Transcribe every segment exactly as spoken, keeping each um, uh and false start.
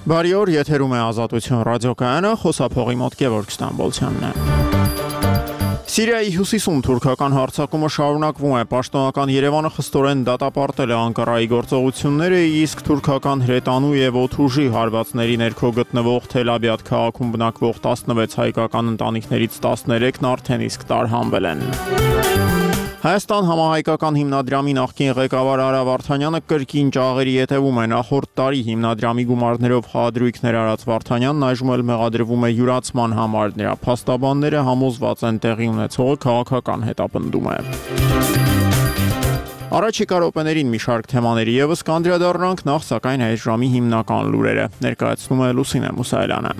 Բարի օր, եթերում է Ազատություն ռադիոկայանը, խոսափողի մոտ Գևորգ Ստամբոլցյանն է։ Սիրիայի հյուսիսում թուրքական հարձակումը շարունակվում է, պաշտոնական Երևանը խստորեն դատապարտել է Անկարայի գործողությունները, իսկ թուրքական հրետանու եւ օդուժի հարվածների ներքո գտնվող Թել-Աբիադ քաղաքում բնակվող տասնվեց հայկական ընտանիքներից տասներեքն արդեն իսկ տարհանվել են։ Հայաստան համահայկական հիմնադրամի նախկին ղեկավար Արա Վարդանյանը կրկին ճաղերի ետևում է։ Նախորդ տարի հիմնադրամի գումարներով խաղադրույքներ արած Վարդանյանն այժմ էլ մեղադրվում է յուրացման համար։ Նրա փաստաբանները համոզված են տեղի ունեցողը քաղաքական հետապնդում է։ Առաջիկա րոպեներին մի շարք թեմաների ևս կանդրադառնանք, նախ սակայն այս ժամի հիմնական լուրերը ներկայացնում է Լուսինե Մուսայելյանը։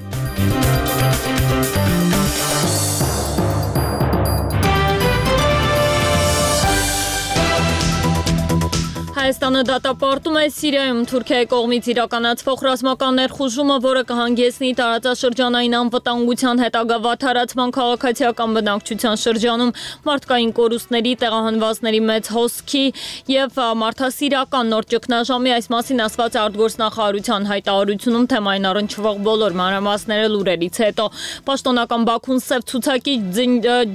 Հայաստանը դատապարտում է Սիրիայում Թուրքիայի կողմից իրականացվող ռազմական ներխուժումը, որը կհանգեցնի տարածաշրջանային անվտանգության հետագա վատթարացման, քաղաքացիական բնակչության շրջանում մարդկային կորուստների, տեղահանվածների մեծ հոսքի եւ մարդասիրական նոր ճգնաժամի։ Այս մասին ասված է արտգործնախարարության հայտարարությունում, թեմային առնչվող բոլոր մանրամասները լուրերից հետո։ Պաշտոնական Բաքուն սև ցուցակի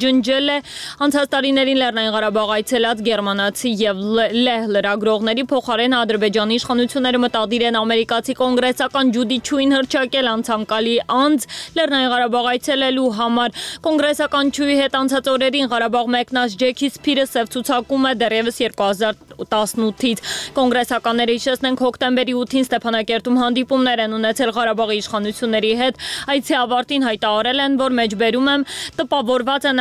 ջնջել է անցած տարիներին Լեռնային Ղարաբաղ այցելած գերմանացի եւ լեհ լրագրող փոխարեն Ադրբեջանի իշխանությունները մտադիր են ամերիկացի կոնգրեսական Ջուդի Չուին հռչակել անցանկալի անձ Լեռնային Ղարաբաղ այցելելու համար։ Կոնգրեսական Չուի հետ անցած օրերին Ղարաբաղ մեկնած Ջեքի Սփիրը սև ցուցակում է դեռևս երկու հազար տասնութից։ Կոնգրեսականները հիշեցնենք հոկտեմբերի ութին Ստեփանակերտում հանդիպումներ են ունեցել Ղարաբաղի իշխանությունների հետ։ Այցի ավարտին հայտարարել են, որ մեջբերում եմ տպավորված են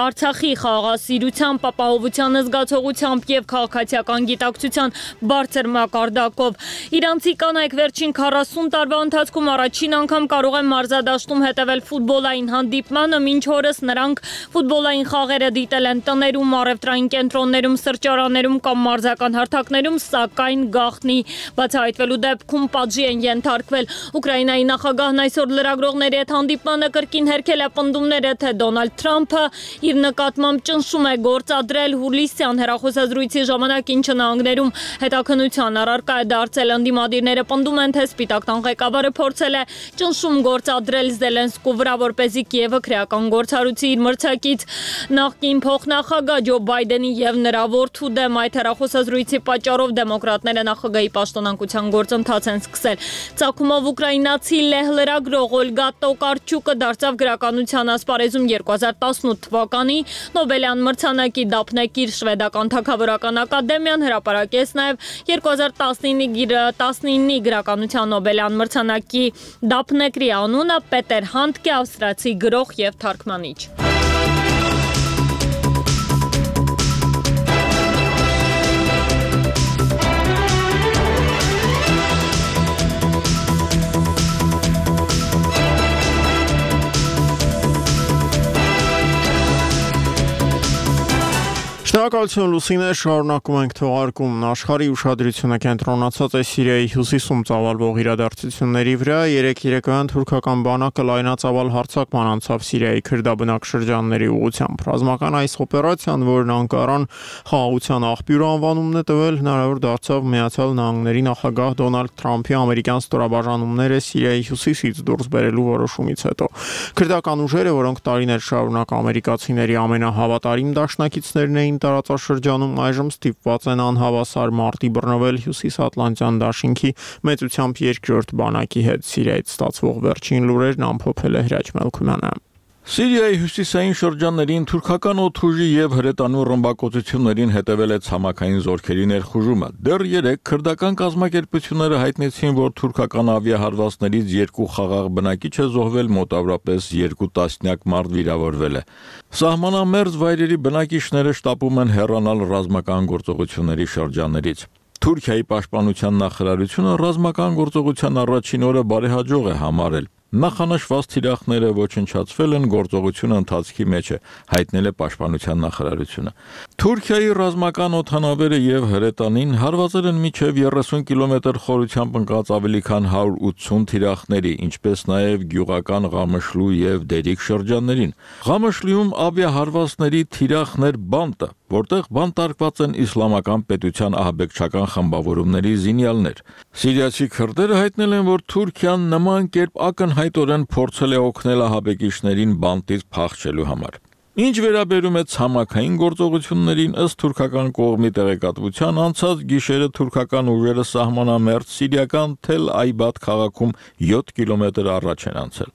Արցախի խաղաղասիրությամբ, ապահովության զգացողությամբ եւ քաղաքացիական գիտակցության բարձր մակարդակով։ Իրանցի կանայք վերջին քառասուն տարվա ընթացքում առաջին անգամ կարող են մարզադաշտում հետևել ֆուտբոլային հանդիպմանը, մինչ օրս նրանք ֆուտբոլային խաղերը դիտել են տներում, առևտրային կենտրոններում, սրճարաններում կամ մարզական հարթակներում, սակայն գաղտնի բացահայտվելու դեպքում պատժի են ենթարկվել։ Ուկրաինայի նախագահն այսօր լրագրողների հետ հանդիպմանը կրկին հերքել է պնդումները, թե Դոնալդ Թրամփը իր նկատմամբ ճնշում է գործադրել հուլիսյան հեռախոսազրույցի ժամանակ, ինչը նահանգներում հետաքննության առարկա է դարձել։ Ընդդիմադիրները պնդում են, թե Սպիտակ տան ղեկավարը փորձել է ճնշում գործադրել Զելենսկու վրա, որպեսզի Կիևը քրեական գործառույթի իր մրցակից նախկին փոխնախագահ Ջո Բայդենի եւ նրա որդու դեմ այդ հեռախոսազրույցի պատճառով դեմոկրատները նախագահի պաշտոնանկության գործընթաց են սկսել։ Ծագումով ուկրաինացի լեհ լրագրող Օլգա Տոկարչուկը դարձավ գրականության ասպարեզում երկու հազար տասնութ թվականի Նոբելյան մրցանակի դափնեկիր, շվեդական թագավորական ակադեմիան հրապարակեց նաև երկու հազար տասնինի գրականության Նոբելյան մրցանակի դափնեկրի անունը Պետեր Հանդկե, ավստրացի գրող եւ թարգմանիչ։ Շնորհակալություն Լուսինե, շարունակում ենք թողարկումն։ Աշխարհի ուշադրությունը կենտրոնացած է Սիրիայի հյուսիսում ծավալվող իրադարձությունների վրա։ Երեկ երեկոյան թուրքական բանակը լայնածավալ հարձակման անցավ Սիրիայի քրդաբնակ շրջանների ուղղությամբ։ Ռազմական այս օպերացիան, որն Անկարան խաղաղության աղբյուր անվանումն է տվել, հնարավոր դարձավ Միացյալ Նահանգների նախագահ Դոնալդ Թրամփի ամերիկյան ստորաբաժանումները Սիրիայի հյուսիսից դուրս բերելու որոշումից հետո։ Քրդական ուժերը, որոնք տարիներ շարունակ ամերիկացիների ամենահավատարիմ դաշնակիցներն էին տարածաշրջանում, այժմ ստիպված են անհավասար մարտի բռնվել Հյուսիսատլանտյան դաշինքի մեծությամբ երկրորդ բանակի հետ։ Սիրիայից ստացվող վերջին լուրերն ամփոփել է Հրաչ Մելքումյանը։ Սիրիայի հյուսիսային շրջաններին թուրքական օդուժի եւ հրետանու ռմբակոծություններին հետևել է ցամաքային զորքերի ներխուժումը։ Դեռ երեք քրդական կազմակերպությունները հայտնեցին, որ թուրքական ավիահարվածներից երկու խաղաղ բնակիչ է զոհվել, մոտավորապես երկու տասնյակ մարդ վիրավորվել է։ Սահմանամերձ վայրերի բնակիչները շտապում են հեռանալ ռազմական գործողությունների շրջաններից։ Թուրքիայի պաշտպանության նախարարությունը ռազմական գործողության առաջին օրը բարեհաջող է համարել։ Նախանշված թիրախները ոչնչացվել են, գործողությունը ընթացքի մեջ է, հայտնել է պաշտպանության նախարարությունը։ Թուրքիայի ռազմական օդանավերը եւ հրետանին հարվածել են մինչեւ երեսուն կիլոմետր խորությամբ ընկած ավելի քան հարյուր ութսուն թիրախների, ինչպես նաեւ գյուղական Ղամշլու եւ Դերիկ շրջաններին։ Ղամշլիում ավիահարվածների թիրախներ բանտը, որտեղ բանտարկված են իսլամական պետության ահաբեկչական խմբավորումների զինյալներ։ Սիրիացի քրդերը հայտնել են, որ Թուրքիան նման կերպ ակնհայտորեն փորձել է օգնել ահաբեկիչներին բանտից փախչելու համար։ Ինչ վերաբերում է ցամաքային գործողություններին, ըստ թուրքական կողմի տեղեկատվության, անցած գիշերը թուրքական ուժերը սահմանամերձ սիրիական Թել Այբադ քաղաքում յոթ կիլոմետր առաջ են անցել։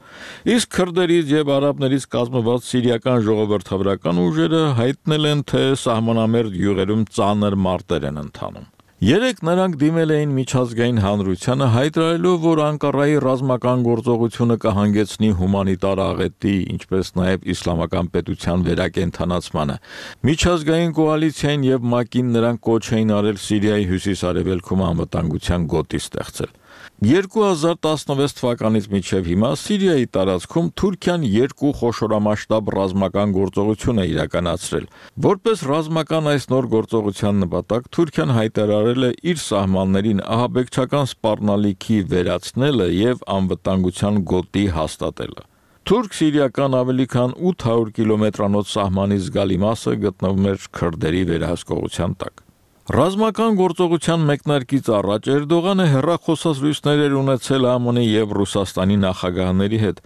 Իսկ քրդերից եւ արաբներից կազմված սիրիական ժողովրդավարական ուժերը հայտնել են, թե սահմանամերձ յուղերում ծանր մարտեր են ընթանում։ Երեք նրանք դիմել էին միջազգային հանրությանը հայտարարելով, որ Անկարայի ռազմական գործողությունը կհանգեցնի հումանիտար աղետի, ինչպես նաև իսլամական պետության վերակենդանացմանը։ Միջազգային կոալիցիային եւ ՄԱԿ-ին նրանք կոչ էին արել Սիրիայի հյուսիս-արևելքում անվտանգության գոտի ստեղծել։ երկու հազար տասնվեց թվականից մինչև հիմա Սիրիայի տարածքում Թուրքիան երկու խոշորամասշտաբ ռազմական գործողություն է իրականացրել։ Որպես ռազմական այս նոր գործողության նպատակ Թուրքիան հայտարարել է իր սահմաններին ահաբեկչական սպառնալիքի վերացնելը եւ անվտանգության գոտի հաստատելը։ Թուրք-սիրիական ավելի քան ութ հարյուր կիլոմետրանոց սահմանի զգալի մասը գտնվում էր քրդերի վերահսկողության տակ։ Ռազմական գործողության մեկնարկից առաջ Էրդողանը հեռախոսազրույցներ էր ունեցել ԱՄՆ-ի եւ Ռուսաստանի նախագահների հետ։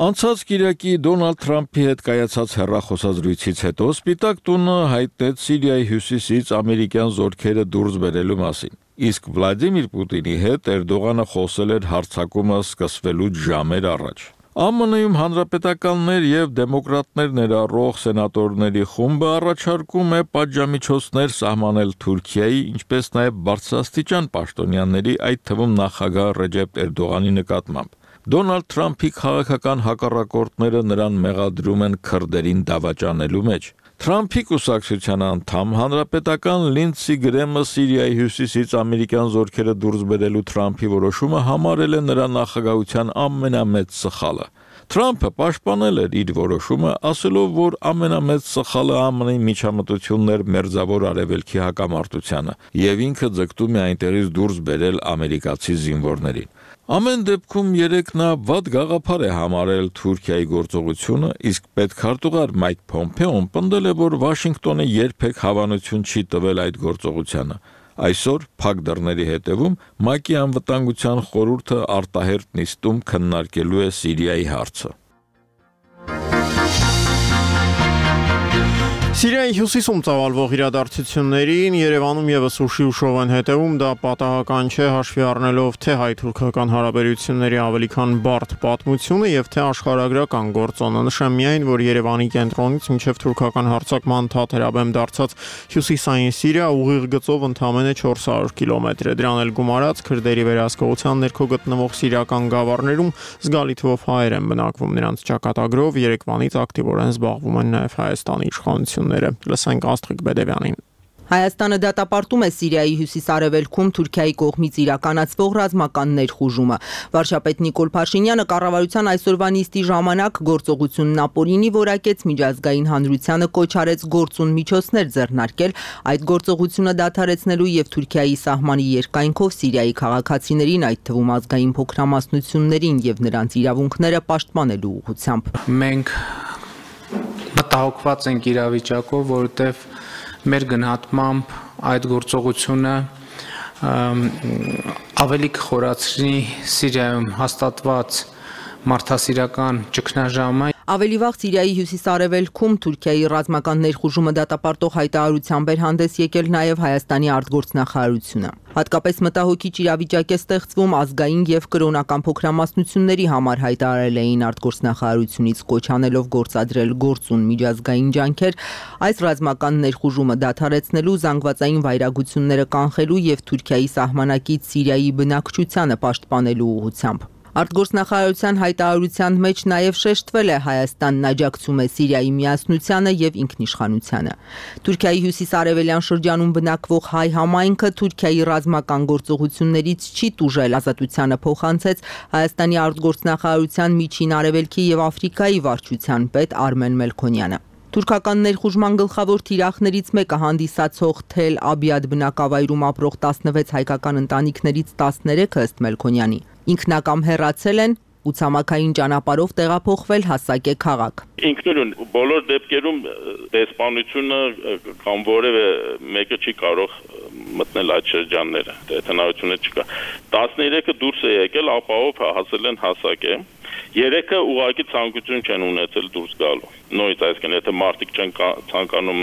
Անցած կիրակի Դոնալդ Թրամփի հետ կայացած հեռախոսազրույցից հետո Սպիտակ տունը հայտնեց Սիրիայի հյուսիսից ամերիկյան զորքերը դուրս բերելու մասին։ Իսկ Վլադիմիր Պուտինի հետ Էրդողանը խոսել էր հարձակումը սկսվելուց ժամեր առաջ։ ԱՄՆ-ում հանրապետականներ եւ դեմոկրատներ ներառող սենատորների խումբը առաջարկում է պատժամիջոցներ սահմանել Թուրքիայի, ինչպես նաեւ բարձրաստիճան պաշտոնյաների, այդ թվում նախագահ Ռեջեփ Էրդողանի նկատմամբ։ Դոնալդ Թրամփի քաղաքական հակառակորդները նրան մեղադրում են քրդերին դավաճանելու մեջ։ Թրամփի կուսակցության անդամ հանրապետական Լինդսի Գրեմը Սիրիայի հյուսիսից ամերիկյան զորքերը դուրս բերելու Թրամփի որոշումը համարել է նրա նախագահության ամենամեծ սխալը։ Թրամփը պաշտպանել էր իր որոշումը, ասելով, որ ամենամեծ սխալը ԱՄՆ-ի միջամտությունն էր Մերձավոր Արևելքի հակամարտությանը, եւ ինքը ձգտում է այնտեղից դուրս բերել ամերիկացի զինվորներին։ Ամեն դեպքում երեք նա վատ գաղափար է համարել Թուրքիայի գործողությունը, իսկ պետքարտուղար Մայք Փոմփեոն պնդել է, որ Վաշինգտոնը երբեք հավանություն չի տվել այդ գործողությանը։ Այսօր փակ դռների հետևում ՄԱԿ-ի անվտանգության խորհուրդը արտահերթ նիստում քննարկելու է Սիրիայի հարցը։ Սիրիայի հյուսիսում ծավալվող իրադարձություններին Երևանում եւս ուշի ուշով են հետևում, դա պատահական չէ, հաշվի առնելով թե հայ-թուրքական հարաբերությունների ավելի քան բարդ պատմությունը եւ թե աշխարհագրական գործոնը։ Նշեմ միայն, որ Երևանի կենտրոնից մինչեւ թուրքական հարձակման թաթերաբեմ դարձած հյուսիսային Սիրիա ուղիղ գծով ընդամենը չորս հարյուր կիլոմետր է։ Դրան էլ գումարած քրդերի վերահսկողության ներքո գտնվող սիրիական գավառներում զգալի թվով հայեր են բնակվում։ Նրանց ճակատագրով Երևանից ակտիվորեն զբաղվում են նաեւ Հայաստանի իշխանությունները։ Լսենք Աստղիկ Բեդևյանին։ Հայաստանը դատապարտում է Սիրիայի հյուսիս-արևելքում Թուրքիայի կողմից իրականացվող ռազմական ներխուժումը։ Վարչապետ Նիկոլ Փաշինյանը կառավարության այսօրվա նիստի ժամանակ գործողությունն ապօրինի որակեց, միջազգային հանրությանը կոչ արեց գործուն միջոցներ ձեռնարկել այդ գործողությունը դադարեցնելու եւ Թուրքիայի սահմանի երկայնքով Սիրիայի քաղաքացիներին, այդ թվում ազգային փոքրամասնություններին եւ նրանց իրավունքները պաշտպանելու ուղղությամբ։ Մենք մտահոգված ենք իրավիճակով, որովհետեւ մեր գնահատմամբ այդ գործողությունը ավելի կխորացնի Սիրիայում հաստատված մարդասիրական ճգնաժամը։ Ավելի վաղ Սիրիայի հյուսիս-արևելքում Թուրքիայի ռազմական ներխուժումը դատապարտող հայտարարությամբ էր հանդես եկել նաև Հայաստանի արտգործնախարարությունը։ Հատկապես մտահոգիչ իրավիճակ է ստեղծվում ազգային եւ կրոնական փոքրամասնությունների համար, հայտարարել էին արտգործնախարարությունից, կոչ անելով գործադրել գործուն միջազգային ջանքեր այս ռազմական ներխուժումը դադարեցնելու, զանգվածային վայրագությունները կանխելու եւ Թուրքիայի սահմանակից Սիրիայի բնակչությանը պաշտպանելու ուղղությամբ։ Արտգործնախարարության հայտարարության մեջ նաև շեշտվել է Հայաստանն աջակցում է Սիրիայի միասնությանը եւ ինքնիշխանությանը։ Թուրքիայի հյուսիս-արևելյան շրջանում բնակվող հայ համայնքը Թուրքիայի ռազմական գործողություններից չի տուժել, ազատությանը փոխանցեց Հայաստանի արտգործնախարարության միջին արևելքի եւ Աֆրիկայի վարչության պետ Արմեն Մելքոնյանը։ Թուրքական ներխուժման գլխավոր թիրախներից մեկը հանդիսացող Թել Աբիադ բնակավայրում ապրող տասնվեց հայկական ընտանիքներից տասներեքը ըստ Մելքոնյանի ինքնակամ հեռացել են ու ցամաքային ճանապարհով տեղափոխվել հասակե քաղաք։ Ինքնուրույն բոլոր դեպքերում դեսպանությունը կամ որևէ մեկը չի կարող մտնել այդ շրջանները, հնարավորություն չկա։ տասներեքը դուրս է եկել, ապահով հասել են հասակե։ Երեքը ուղղակի ցանկություն չեն ունեցել դուրս գալու։ Նույնիսկ այսինքն եթե մարդիկ չեն ցանկանում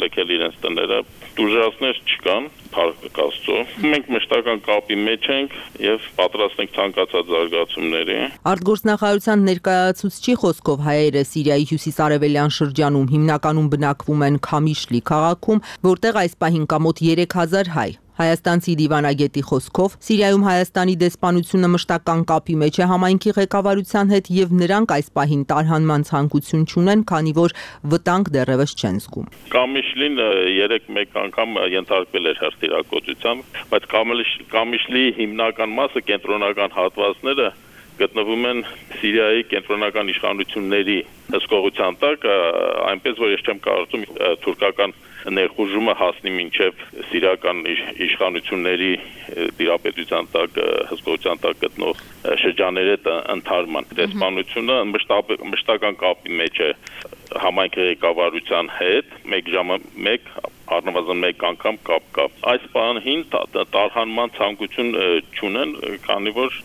լքել իրենց տները, դուրժացներ չկան, փառք Աստծո։ Մենք մշտական կապի մեջ ենք եւ պատրաստ ենք ցանկացած զարգացումների։ Արտգործնախարարության ներկայացուցչի խոսքով հայերը Սիրիայի հյուսիսարևելյան շրջանում հիմնականում բնակվում են Քամիշլի քաղաքում, որտեղ այս պահին կա մոտ երեք հազար հայ։ Հայաստանցի դիվանագետի խոսքով Սիրիայում Հայաստանի դեսպանությունը մշտական կապի մեջ է համայնքի ղեկավարության հետ եւ նրանք այս պահին տարհանման ցանկություն չունեն, քանի որ վտանգ դեռևս չեն զգում։ Կամիշլին երեք մեկ անգամ ենթարկվել էր հրթիռակոծության, բայց Կամիշլի հիմնական մասը կենտրոնական հատվածները գտնվում են Սիրիայի կենտրոնական իշխանությունների հսկողության տակ, այնպես որ ես չեմ կարծում թուրքական ներխուժումը հասնի մինչև սիրիական իշխանությունների տիրապետության տակ, հսկողության տակ գտնող շրջանների ընդհանրման։ Դեսպանությունը մշտական կապի մեջ է համայնքի ղեկավարության հետ, մեկ ժամը մեկ առնվազն մեկ անգամ կապ կա։ Այս պահին տարհանման ցանկություն չունեն, քանի որ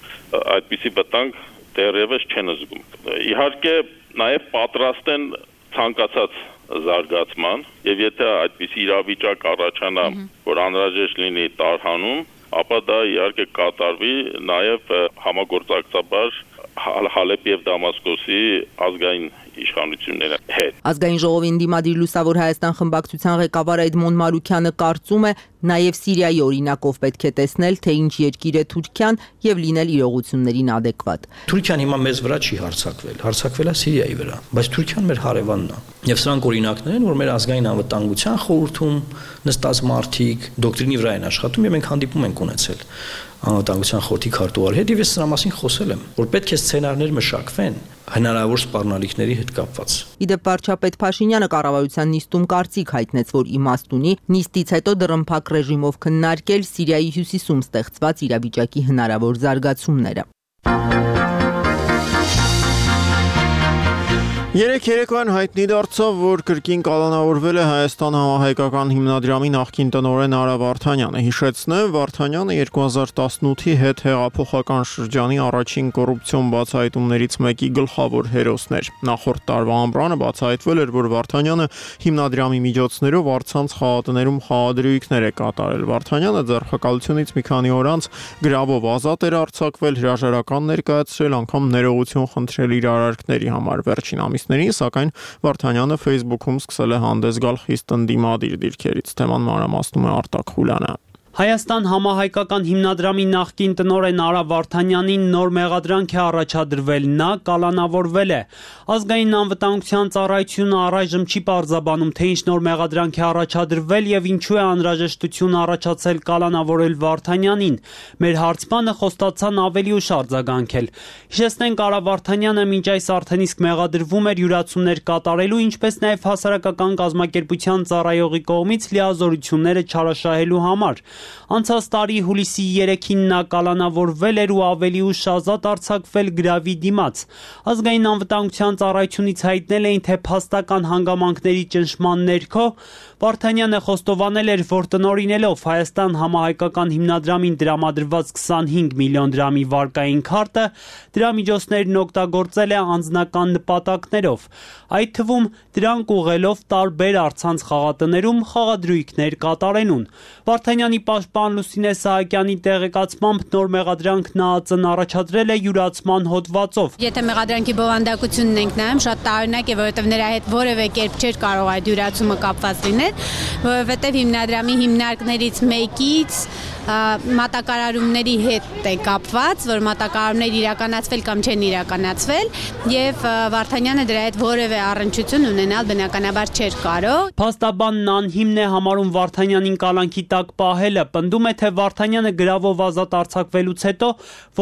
այդպիսի վտանգ դեռևս չեն զգում։ Իհարկե նաև պատրաստ են ցանկացած զարգացման եւ եթե այդպիսի իրավիճակ առաջանա, որ անհրաժեշտ լինի տարհանում, ապա դա իհարկե կատարվի նաև համագործակցաբար Հալեպ եւ Դամասկոսի ազգային իշխանությունների հետ։ Ազգային ժողովին դիմադիր Լուսավոր Հայաստան խմբակցության ղեկավար Էդմոն Մարուքյանը կարծում է, նաև Սիրիայի օրինակով պետք է տեսնել, թե ինչ երկիր է Թուրքիան եւ լինել իրողություններին adekvat։ Թուրքիան հիմա մեզ վրա չի հարձակվել, հարձակվել է Սիրիայի վրա, բայց Թուրքիան մեր հարևանն է։ Եվ սրանք օրինակներ են, որ մեր ազգային անվտանգության խորհրդում նստած մարդիկ դոկտրինի վրա են աշխատում եւ մենք հանդիպում ենք ունեցել անվտանգության խորհրդի քարտուղարի հետ եւ ես սրա մասին խոսել եմ, որ պետք է սցենարներ մշակվեն հնարավոր սպառնալիքների հետ կապված։ Իդեպ վարչապետ Փաշինյանը կառավարության նիստում կարծիք հայտնեց, որ իմաստ ունի նիստից հետո դռնփակ ռեժիմով քննարկել Սիրիայի հյուսիսում ստեղծված իրավիճակի հնարավոր զարգացումները։ Երեք երեկոյան հայտնի դարձավ, որ կրկին կալանավորվել է Հայաստան համահայկական հիմնադրամի նախկին տնօրեն Արա Վարդանյանը։ Հիշեցնեմ, Վարդանյանը երկու հազար տասնութի հետ հեղափոխական շրջանի առաջին կոռուպցիոն բացահայտումներից մեկի գլխավոր հերոսն էր։ Նախորդ տարվա ամռանը բացահայտվել էր, որ Վարդանյանը հիմնադրամի միջոցներով առցանց խաղատներում խաղադրույքներ է կատարել։ Վարդանյանը ձեռնարկությունից մի քանի օր անց գրավով ազատ էր արձակվել, հրաժարական ներկայացրել, անգամ ներողություն խնդրել իր արարքների համար վերջին ամիս Սակայն Վարդանյանը Facebook-ում սկսել է հանդես գալ խիստ ընդդիմադիր դիրքերից։ Թեման մանրամասնում է Արտակ Խուլյանը։ Հայաստան համահայկական հիմնադրամի նախկին տնօրեն Արա Վարդանյանին նոր մեղադրանք է առաջադրվել, նա կալանավորվել է։ Ազգային անվտանգության ծառայությունը առայժմ չի պարզաբանում, թե ինչ նոր մեղադրանք է առաջադրվել եւ ինչու է անհրաժեշտություն առաջացել կալանավորել Վարդանյանին։ Մեր հարցմանը խոստացան ավելի ուշ արձագանքել։ Հիշեցնենք, Արա Վարդանյանը մինչ այս արդեն իսկ մեղադրվում էր յուրացումներ կատարելու, ինչպես նաեւ հասարակական կազմակերպության ծառայողի կողմից լիազորությունները չարաշահելու համար։ Անցած տարի հուլիսի երեքին նա կալանավորվել էր ու ավելի ուշ ազատ արձակվել գրավի դիմաց։ Ազգային անվտանգության ծառայությունից հայտնել էին, թե փաստական հանգամանքների ճնշման ներքո Վարդանյանը խոստովանել էր, որ տնօրինելով Հայաստան համահայկական հիմնադրամին տրամադրված քսանհինգ միլիոն դրամի վարկային քարտը, դրա միջոցներն օգտագործել է անձնական նպատակներով, այդ թվում դրանք ուղղելով տարբեր առցանց խաղատներում խաղադրույքներ կատարելուն։ Վարդանյանի պաշտպան Լուսինե Սահակյանի տեղեկացմամբ նոր մեղադրանքն ԱԱԾ-ն առաջադրել է յուրացման հոդվածով։ Եթե մեղադրանքի բովանդակությունն ենք նայում, շատ տարօրինակ է, որովհետև նրա հետ որևէ կերպ չէր կարող այդ յուրացումը կապված լինել, որովհետև հիմնադրամի հիմնարկներից մեկից մատակարարումների հետ է կապված, որ մատակարարումներ իրականացվել կամ չեն իրականացվել, եւ Վարդանյանը դրա հետ որևէ առնչություն ունենալ բնականաբար չէր կարող։ Փաստաբանն անհիմն է համարում Վարդանյանին կալանքի տակ պահելը, պնդում է, թե Վարդանյանը գրավով ազատ արձակվելուց հետո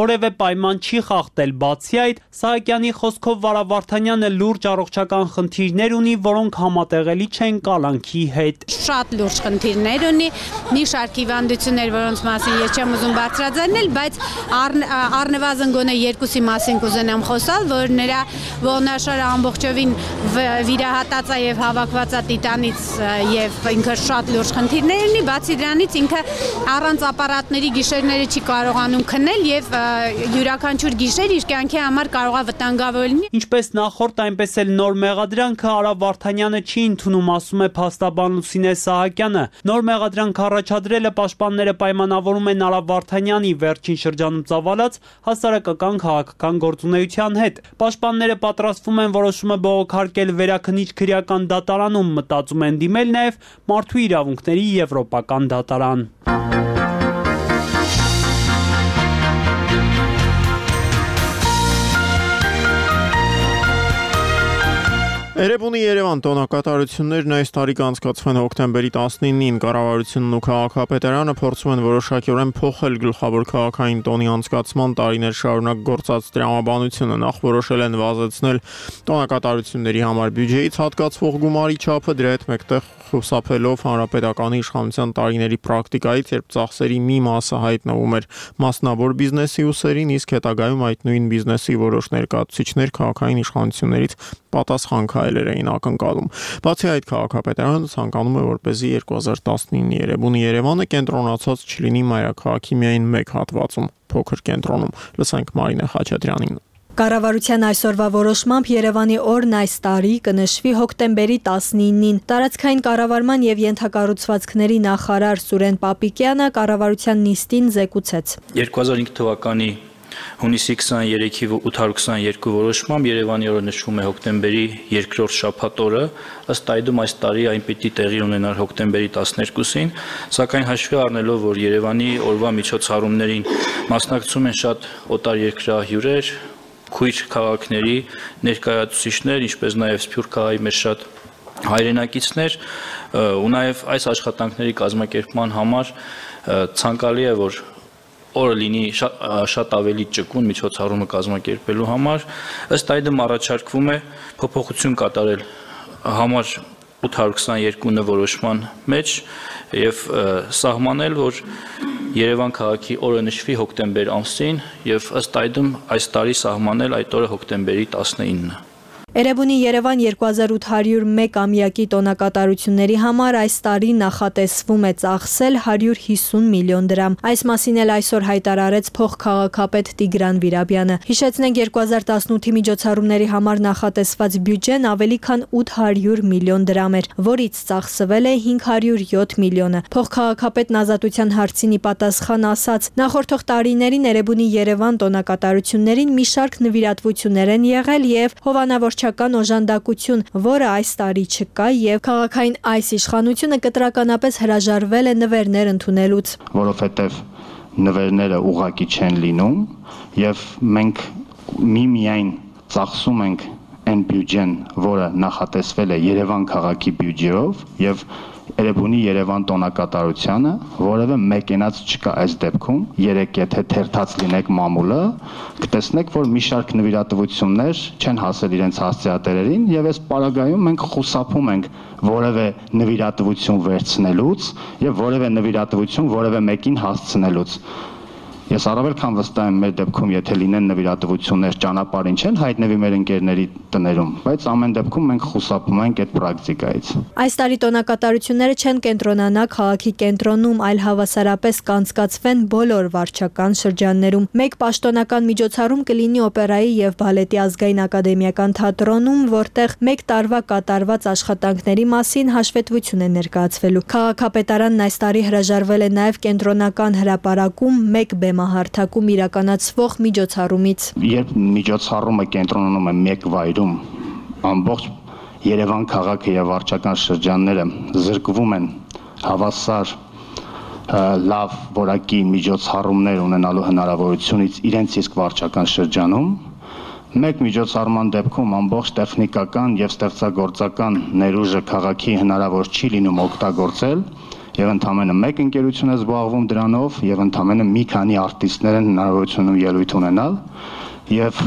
որևէ պայման չի խախտել։ Բացի այդ, Սահակյանի խոսքով Արա Վարդանյանը լուրջ առողջական խնդիրներ ունի, որոնք համատեղելի չեն կալանքի հետ։ Շատ լուրջ խնդիրներ ունի, մի շարք հիվանդություններ, որոնց որոնց մասին ես չեմ ուզում բարձրաձայնել, բայց առնվազն գոնե երկուսի մասին կուզենամ խոսալ, որ նրա ողնաշարը ամբողջովին վիրահատած է եւ հավաքված է տիտանից եւ ինքը շատ լուրջ խնդիրներ ունի, բացի դրանից ինքը առանց ապարատների գիշերները չի կարողանում քնել եւ յուրաքանչյուր գիշեր իր կյանքի համար կարող է վտանգավոր լինի։ Ինչպես նախորդ, այնպես էլ նոր մեղադրանքը Արա Վարդանյանը չի ընդունում, ասում է փաստաբան Լուսինե Սահակյանը։ Նոր մեղադրանք առաջադրելը պաշտպանները պայմանավորում են Արա Վարդանյանի վերջին շրջանում ծավալած հասարակական քաղաքական գործունեության հետ։ Պաշտպանները պատրաստվում են որոշումը բողոքարկել Վերաքննիչ քրեական դատարանում, մտածում են դիմել նաև Մարդու իրավունքների եվրոպական դատարան։ Էրեբունի Երևան տոնակատարություններն այս տարի կանցկացվեն հոկտեմբերի տասնինին, կառավարությունն ու քաղաքապետարանը փորձում են որոշակիորեն փոխել գլխավոր քաղաքային տոնի անցկացման տարիներ շարունակ գործած տրամաբանությունը, նախ որոշել են վազեցնել տոնակատարությունների համար բյուջեից հատկացվող գումարի չափը, դրա հետ մեկտեղ խուսափելով հանրապետականի իշխանության տարիների պրակտիկայից, երբ ծախսերի մի մասը հայտնվում էր մասնավոր բիզնեսի ուսերին, իսկ հետագայում այդ նույն բիզնեսի որոշ ներկայացուցիչներ քաղաքային իշխանություններից պատասխան քայլեր էին ակնկալում։ Բացի այդ, քաղաքապետարանը ցանկանում է, որպեսզի երկու հազար տասնինի Էրեբունի Երևանը կենտրոնացած չլինի մայրաքաղաքի միայն մեկ հատվածում, փոքր կենտրոնում։ Լսենք Մարինե Խաչատրյանին։ Կառավարության այսօրվա որոշմամբ Երևանի օրն այս տարի կնշվի հոկտեմբերի տասնինին։ Տարածքային կառավարման եւ ենթակառուցվածքների նախարար Սուրեն Պապիկյանը կառավարության նիստին զեկուցեց. երկու հազար հինգ թվականի հունիսի քսաներեքի ութ հարյուր քսաներկու որոշմամբ Երևանի օրը նշվում է հոկտեմբերի երկրորդ շաբաթ օրը, ըստ այդմ այս տարի այն պիտի տեղի ունենար հոկտեմբերի տասներկուսին, սակայն հաշվի առնելով, որ Երևանի օրվա միջոցառումներին մասնակցում են շատ օտարերկրահյուրեր, քույր քաղաքների ներկայացուցիչներ, ինչպես նաև Սփյուռքահայի մեր շատ հայրենակիցներ, ու նաև այս աշխատանքների կազմակերպման համար ցանկալի է, որ օրը լինի շատ, շատ ավելի ճկուն միջոցառումը կազմակերպելու համար, ըստ այդմ առաջարկվում է փոփոխություն կատարել համար ութ հարյուր քսաներկու որոշման մեջ եւ սահմանել, որ Երևան քաղաքի օրը նշվի հոկտեմբեր ամսին եւ ըստ այդմ այս տարի սահմանել այդ օրը հոկտեմբերի տասնինը։ Էրեբունի Երևան երկու հազար ութ հարյուր մեկ ամյակի տոնակատարությունների համար այս տարի նախատեսվում է ծախսել հարյուր հիսուն միլիոն դրամ։ Այս մասին էլ այսօր հայտարարեց փոխքաղաքապետ Տիգրան Վիրաբյանը։ Հիշեցնենք, երկու հազար տասնութի միջոցառումների համար նախատեսված բյուջեն ավելի քան ութ հարյուր միլիոն դրամ էր, որից ծախսվել է հինգ հարյուր յոթ միլիոնը։ Փոխքաղաքապետն ազատության հարցին ի պատասխան ասաց. նախորդող տարիներին Էրեբունի Երևան տոնակատարություններին մի շարք նվիրատվություններ են եղել եւ հովանավոր օժանդակություն, որը այս տարի չկա եւ քաղաքային այս իշխանությունը կտրականապես հրաժարվել է նվերներ ընդունելուց, որովհետեւ նվերները ուղղակի չեն լինում եւ մենք միմիայն ծախսում ենք այն բյուջեն, որը նախատեսվել է Երևան քաղաքի բյուջեով եւ Էրեբունի Երևան տոնակատարությանը որևէ մեկենաց չկա այս դեպքում։ Երեք եթե թերթած լինեք մամուլը, կտեսնեք, որ մի շարք նվիրատվություններ չեն հասել իրենց հասցեատերերին եւ այս պարագայում մենք խուսափում ենք որևէ նվիրատվություն վերցնելուց եւ որևէ նվիրատվություն որևէ մեկին հասցնելուց։ Ես առավել քան վստահ եմ մեր դեպքում, եթե լինեն նվիրատվություններ ճանապարհին չեն հայտնվի մեր ընկերների տներում, բայց ամեն դեպքում մենք խուսափում ենք այդ պրակտիկայից։ Այս տարի տոնակատարությունները չեն կենտրոնանա քաղաքի կենտրոնում, այլ հավասարապես կանցկացվեն բոլոր վարչական շրջաններում։ Մեկ պաշտոնական միջոցառում կլինի օպերայի եւ բալետի ազգային ակադեմիական թատրոնում, որտեղ մեկ տարվա կատարված աշխատանքների մասին հաշվետվություն է ներկայացվելու։ Քաղաքապետարանն այս տարի հրաժարվել է նաեւ կենտրոնական հրապարակում մեկ հարթակում իրականացվող միջոցառումից։ Երբ միջոցառումը կենտրոնանում է մեկ վայրում, ամբողջ Երևան քաղաքը եւ վարչական շրջանները զրկվում են հավասար լավ որակի միջոցառումներ ունենալու հնարավորությունից իրենց իսկ վարչական շրջանում, մեկ միջոցառման դեպքում ամբողջ տեխնիկական եւ ստեղծագործական ներուժը քաղաքի հնարավոր չի լինում օգտագործել եւ ընդամենը մեկ ընկերություն է զբաղվում դրանով եւ ընդամենը մի քանի արտիստներ են հնարավորություն ելույթ ունենալ եւ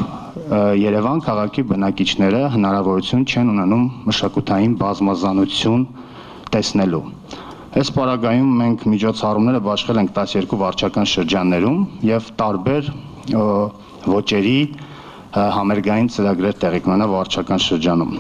Երևան քաղաքի բնակիչները հնարավորություն չեն ունենում մշակութային բազմազանություն տեսնելու։ Այս պարագայում մենք միջոցառումները բաշխել ենք տասներկու վարչական շրջաններում եւ տարբեր ոճերի համերգային ծրագրեր տեղի կունենա վարչական շրջանում։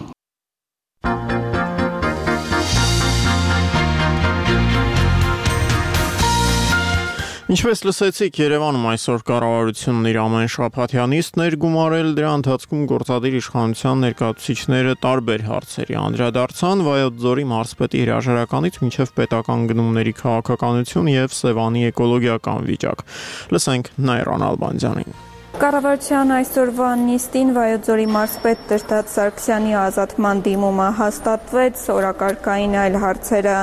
Ինչպես լսեցիք, Երևանում այսօր կառավարությունն իր ամեն շաբաթյա նիստն էր գումարել, դրա ընթացքում գործադիր իշխանության ներկայացուցիչները տարբեր հարցերի անդրադարձան Վայոց ձորի մարզպետի հրաժարականից մինչև պետական գնումների քաղաքականություն եւ Սևանի էկոլոգիական վիճակ։ Լսենք Նայրան Ալբանդյանին։ Կառավարության այսօրվա նիստին Վայոց ձորի մարզպետ Տրտած Սարգսյանի ազատման դիմումը հաստատվեց, օրակարգային այլ հարցերը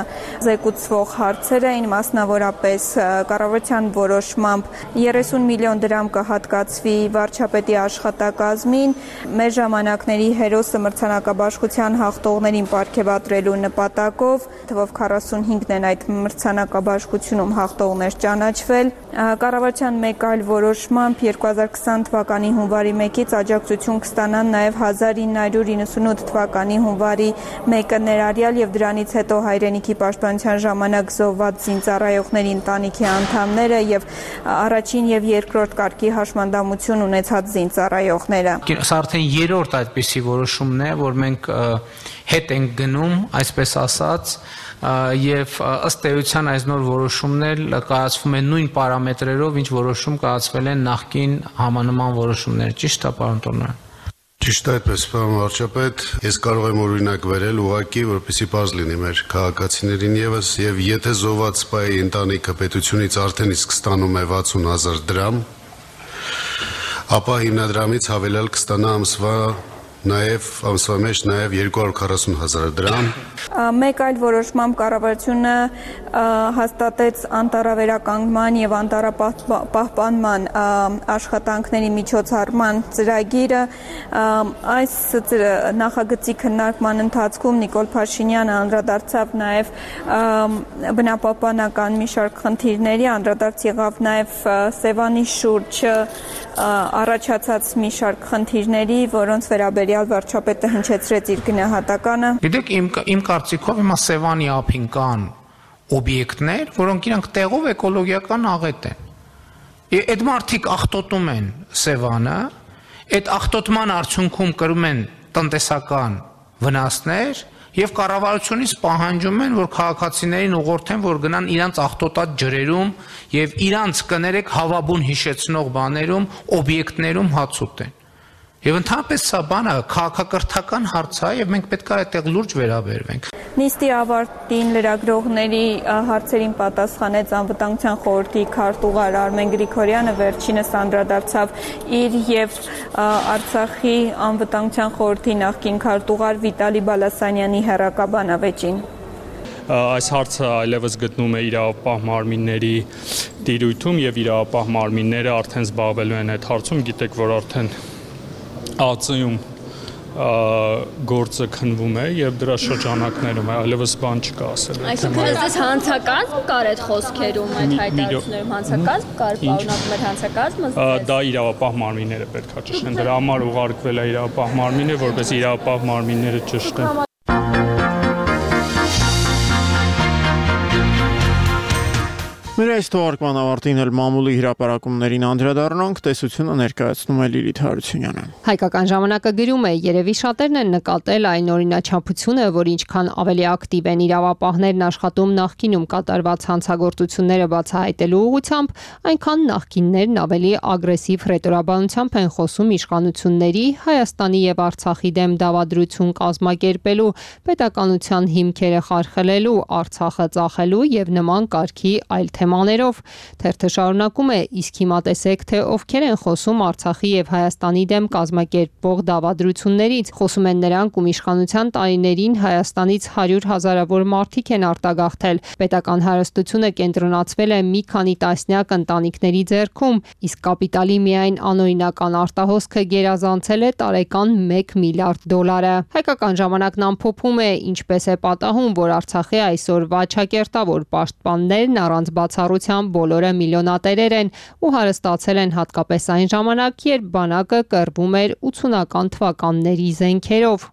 զեկուցվող հարցեր էին, մասնավորապես կառավարության որոշմամբ երեսուն միլիոն դրամ կհատկացվի վարչապետի աշխատակազմին, մեր ժամանակների հերոսը մրցանակաբաշխության հաղթողներին պարգևատրելու նպատակով, թվով քառասունհինգն են այդ մրցանակաբաշխությունում հաղթողներ ճանաչվել, կառավարության մեկ այլ որոշմամբ երկու հազար քսան թվականի հունվարի մեկից աջակցություն կստանան նաև հազար ինը հարյուր իննսունութ թվականի հունվարի մեկը ներառյալ եւ դրանից հետո հայրենիքի պաշտպանության ժամանակ զոհված զինծառայողների ընտանիքի անդամները եւ առաջին եւ երկրորդ կարգի հաշմանդամություն ունեցած զինծառայողները։ Սա արդեն երրորդ այդպիսի որոշումն է, որ մենք հետ ենք գնում, այսպես ասած, եւ ըստ էության այս նոր որոշումն էլ կայացվում է նույն պարամետրերով, ինչ որոշում կայացվել են նախկին համանման որոշումներ, ճիշտ է, պարոն Տորնարյան։ Ճիշտ է այդպես, պարոն վարչապետ, ես կարող եմ օրինակ վերել ուղղակի, որպեսզի պարզ լինի մեր քաղաքացիներին եւս, եւ եթե զոհված սպայի ընտանիքը պետությունից արդեն իսկ ստանում է վաթսուն հազար դրամ, ապա հիմնադրամից հավելյալ կստանա ամսվա նաև ամսվա մեջ նաև երկու հարյուր քառասուն հազար դրամ։ Մեկ այլ որոշմամբ կառավարությունը հաստատեց անտառավերականգնման եւ անտառապահպանման աշխատանքների միջոցառման ծրագիրը։ Այս նախագծի քննարկման ընթացքում Նիկոլ Փաշինյանը անդրադարձավ նաև բնապահպանական մի շարք խնդիրների, անդրադարձ եղավ նաև Սևանի շուրջ առաջացած մի շարք խնդիրների, որոնց վերաբերյալ վարչապետը հնչեցրեց իր գնահատականը։ Գիտեք, իմ իմ կարծիքով հիմա Սևանի ափին կան օբյեկտներ, որոնք իրանք տեղով էկոլոգիական աղետ են։ Այդ մարդիկ աղտոտում են Սևանը, այդ աղտոտման արդյունքում կրում են տնտեսական վնասներ եւ կառավարությունից պահանջում են, որ քաղաքացիներին ուղղորդեն, որ գնան իրանց աղտոտած ջրերում եւ իրանց կներեք հավաբուն հիշեցնող բաներում, օբյեկտներում հաց ուտեն։ Եվ ընդհանրապես սա բանը քաղաքակրթական հարց է եւ մենք պետք է այդտեղ լուրջ վերաբերվենք։ Նիստի ավարտին լրագրողների հարցերին պատասխանեց անվտանգության խորհրդի քարտուղար Արմեն Գրիգորյանը, վերջինս անդրադարձավ իր եւ Արցախի անվտանգության խորհրդի նախկին քարտուղար Վիտալի Բալասանյանի հերակաբանավեճին։ Այս հարցը այլևս գտնում է իրավապահ մարմինների տիրույթում եւ իրավապահ մարմինները արդեն զբաղվելու են այդ հարցում, գիտեք, որ արդեն ԱԾ-ում գործը քննվում է եւ դրա շրջանակներում է, այլևս բան չկա ասել։ Այսինքն դες հանցակազմ կար այդ խոսքերում, այդ հայտարարություններում հանցակազմ կար, պարունակում էր հանցակազմը։ Դա իրավապահ մարմինները պետք է ճշտեն։ Դրա համար ուղարկվել է իրավապահ մարմինը, որպես իրավապահ մարմինները ճշտեն։ Մեր այս թողարկման ավարտին էլ մամուլի հրապարակումներին անդրադառնանք, տեսությունը ներկայացնում է Լիլիթ Հարությունյանը։ Հայկական ժամանակը գրում է, երևի շատերն են նկատել այն օրինաչափությունը, որ ինչքան ավելի ակտիվ են իրավապահներն աշխատում նախկինում կատարված հանցագործությունները բացահայտելու ուղղությամբ, այնքան նախկիններն ավելի ագրեսիվ ռետորաբանությամբ են խոսում իշխանությունների, Հայաստանի եւ Արցախի դեմ դավադրություն կազմակերպելու, պետականության հիմքերը խարխլելու, Արցախը ծախելու եւ նման կարգի այլ թեմաներով։ Թերթը շարունակում է, իսկ հիմա տեսեք, թե ովքեր են խոսում Արցախի եւ Հայաստանի դեմ կազմակերպող դավադրություններից։ Խոսում են նրանք, ում իշխանության տարիներին Հայաստանից հարյուր հազարավոր մարդիկ են արտագաղթել։ Պետական հարստությունը կենտրոնացվել է մի քանի տասնյակ ընտանիքների ձեռքում, իսկ կապիտալի միայն անօրինական արտահոսքը գերազանցել է տարեկան մեկ միլիարդ դոլարը։ Հայկական ժամանակն ամփոփում է, ինչպես է պատահում, որ Արցախի այսօրվա չակերտավոր պաշտպաններն առանց բացառության բոլորը միլիոնատերեր են ու հարստացել են հատկապես այն ժամանակ, երբ բանակը կռվում էր ութսունական թվականների զենքերով։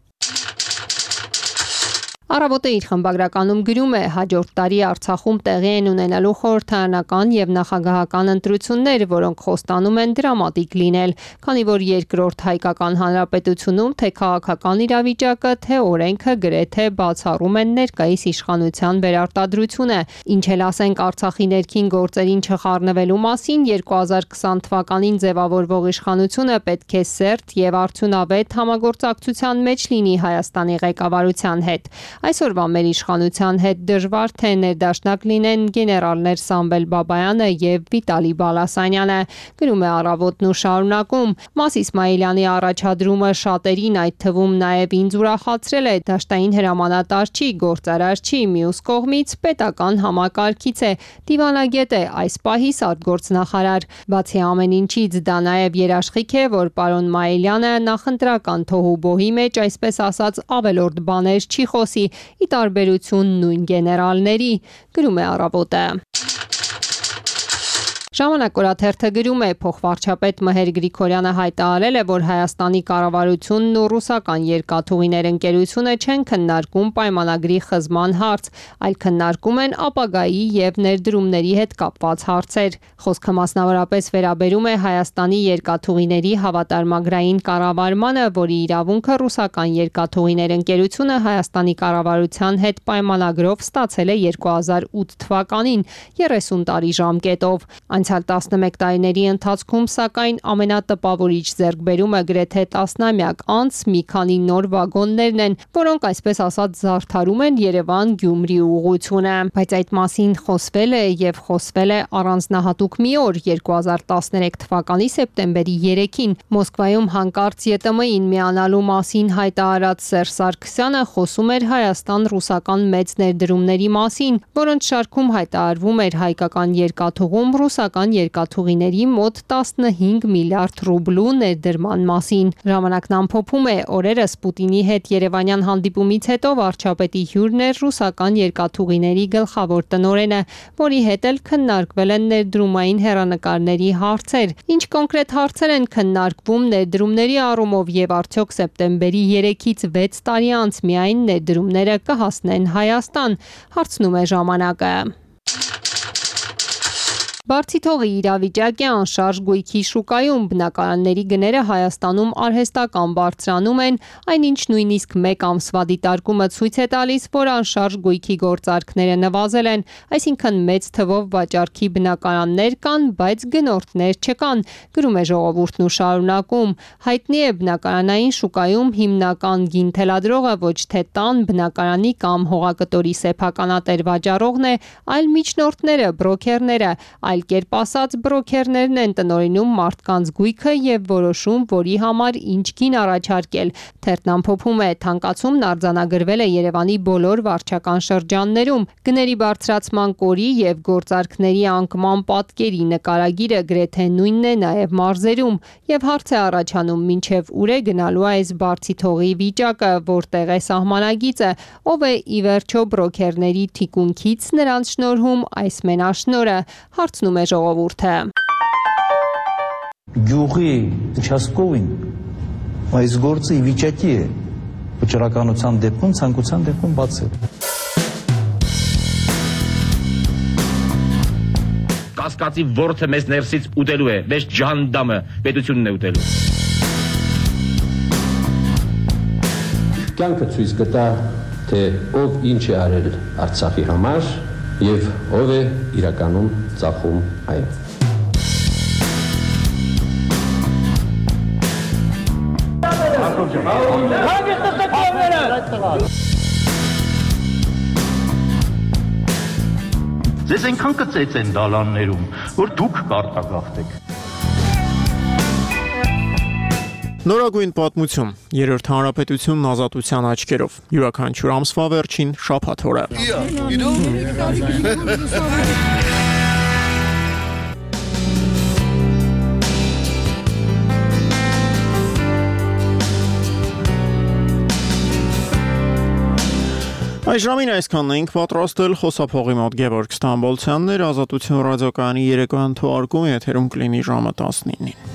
Առավոտը իր խմբագրականում գրում է. հաջորդ տարի Արցախում տեղի են ունենալու խորհրդարանական եւ նախագահական ընտրություններ, որոնք խոստանում են դրամատիկ լինել, քանի որ երկրորդ հայկական հանրապետությունում թե քաղաքական իրավիճակը, թե օրենքը գրեթե բացառում են ներկայիս իշխանության վերարտադրությունը, ինչ էլ ասենք Արցախի ներքին գործերին չխառնվելու մասին, երկու հազար քսան թվականին ձևավորվող իշխանությունը պետք է սերտ եւ արդյունավետ համագործակցության մեջ լինի Հայաստանի ղեկավարության հետ։ Այսօրվա մեր իշխանության հետ դժվար թե ներդաշնակ լինեն գեներալներ Սամվել Բաբայանը եւ Վիտալի Բալասանյանը, գրում է Առավոտն ու շարունակում. Մաս Իսմայելյանի առաջադրումը շատերին, այդ թվում նաեւ ինձ ուրախացրել է, դաշտային հրամանատար չի, գործարար չի, մյուս կողմից պետական համակարգից է, դիվանագետ է, այս պահի արտգործնախարար։ Բացի ամեն ինչից, դա նաեւ երաշխիք է, որ պարոն Մայիլյանը նախընտրական թոհուբոհի մեջ, այսպես ասած, ավելորդ բաներ չի խոսի, ի տարբերություն նույն գեներալների, գրում է Առավոտը։ Ժամանակ օրաթերթը գրում է. փոխվարչապետ Մհեր Գրիգորյանը հայտարարել է, որ Հայաստանի կառավարությունն ու ռուսական երկաթուղիներ ընկերությունը չեն քննարկում պայմանագրի խզման հարց, այլ քննարկում են ապագայի եւ ներդրումների հետ կապված հարցեր։ Խոսքը մասնավորապես վերաբերում է Հայաստանի երկաթուղիների հավատարմագրային կառավարմանը, որի իրավունքը ռուսական երկաթուղիներ ընկերությունը Հայաստանի կառավարության հետ պայմանագրով ստացել է երկու հազար ութ թվականին, երեսուն տարի ժամկետով։ Անցյալ տասնմեկ տարիների ընթացքում, սակայն, ամենատպավորիչ ձեռքբերումը գրեթե տասնամյակ անց մի քանի նոր վագոններն են, որոնք այսպես ասած զարդարում են Երևան-Գյումրի ուղղությունը, բայց այդ մասին խոսվել է եւ խոսվել է առանձնահատուկ մի օր, երկու հազար տասներեք թվականի սեպտեմբերի երեքին Մոսկվայում հանկարծ Ե Տ Մ ին միանալու մասին հայտարարած Սերժ Սարգսյանը խոսում էր Հայաստան-ռուսական մեծ ներդրումների մասին, որոնց շարքում հայտարարվում էր հայկական երկաթուղում ռուսական երկաթուղիների մոտ տասնհինգ միլիարդ ռուբլու ներդրման մասին։ Ժամանակն ամփոփում է, օրերս Պուտինի հետ երևանյան հանդիպումից հետո վարչապետի հյուրն էր ռուսական երկաթուղիների գլխավոր տնօրենը, որի հետ էլ քննարկվել են ներդրումային հեռանկարների հարցեր։ Ինչ կոնկրետ հարցեր են քննարկվում ներդրումների առումով եւ արդյոք սեպտեմբերի երեքից վեց տարի անց միայն ներդրումները կհասնեն Հայաստան, հարցնում է ժամանակը։ Բարձիթողի իրավիճակի անշարժ գույքի շուկայում բնակարանների գները Հայաստանում արհեստական բարձրանում են, այնինչ նույնիսկ մեկ ամսվա դիտարկումը ցույց է տալիս, որ անշարժ գույքի գործարքները նվազել են, այսինքն մեծ թվով վաճառքի բնակարաններ կան, բայց գնորդներ չկան, գրում է Ժողովուրդն ու շարունակում։ Հայտնի է բնակարանային շուկայում հիմնական գին թելադրողը ոչ թե տան, բնակարանի կամ հողակտորի սեփականատեր վաճառողն է, այլ միջնորդները, բրոքերները, այլ կերպ ասած բրոքերներն են տնօրինում մարդկանց գույքը եւ որոշում, որի համար ինչ գին առաջարկել։ Թերթն ամփոփում է, թանկացումն արձանագրվել է Երևանի բոլոր վարչական շրջաններում։ Գների բարձրացման կորի եւ գործարքների անկման պատկերի նկարագիրը գրեթե նույնն է նաեւ մարզերում եւ հարց է առաջանում, մինչեւ ուր է գնալու այս բարձիթողի վիճակը, որտեղ է սահմանագիծը, ով է ի վերջո բրոքերների թիկունքից նրանց շնորհում այս մենաշնորը, հարցնում է Ժողովուրդը։ Գյուղի участковին այս գործը ի վիճակի է վճռականության դեպքում, ցանկության դեպքում բացել։ Կասկածի ворթը մեզ ներսից ուտելու է, մեզ ջանդամը պետությունն է ուտելու։ Կյանքը ցույց կտա, թե ով ինչ է արել Արցախի համար եւ ով է իրականում ծախում այն։ Ձեզ այնքան կծեց են դալաններում, որ դուք կարտագաղթեք։ Նորագույն պատմություն, երրորդ հանրապետությունն ազատության աչքերով, յուրաքանչյուր ամսվա վերջին շաբաթ օրը։ Այս ժամին այսքանն էինք պատրաստել, խոսափողի մոտ Գևորգ Ստամբոլցյանն էր, Ազատություն ռադիոկայանի երեկոյան թողարկումը եթերում կլինի ժամը տասնինին։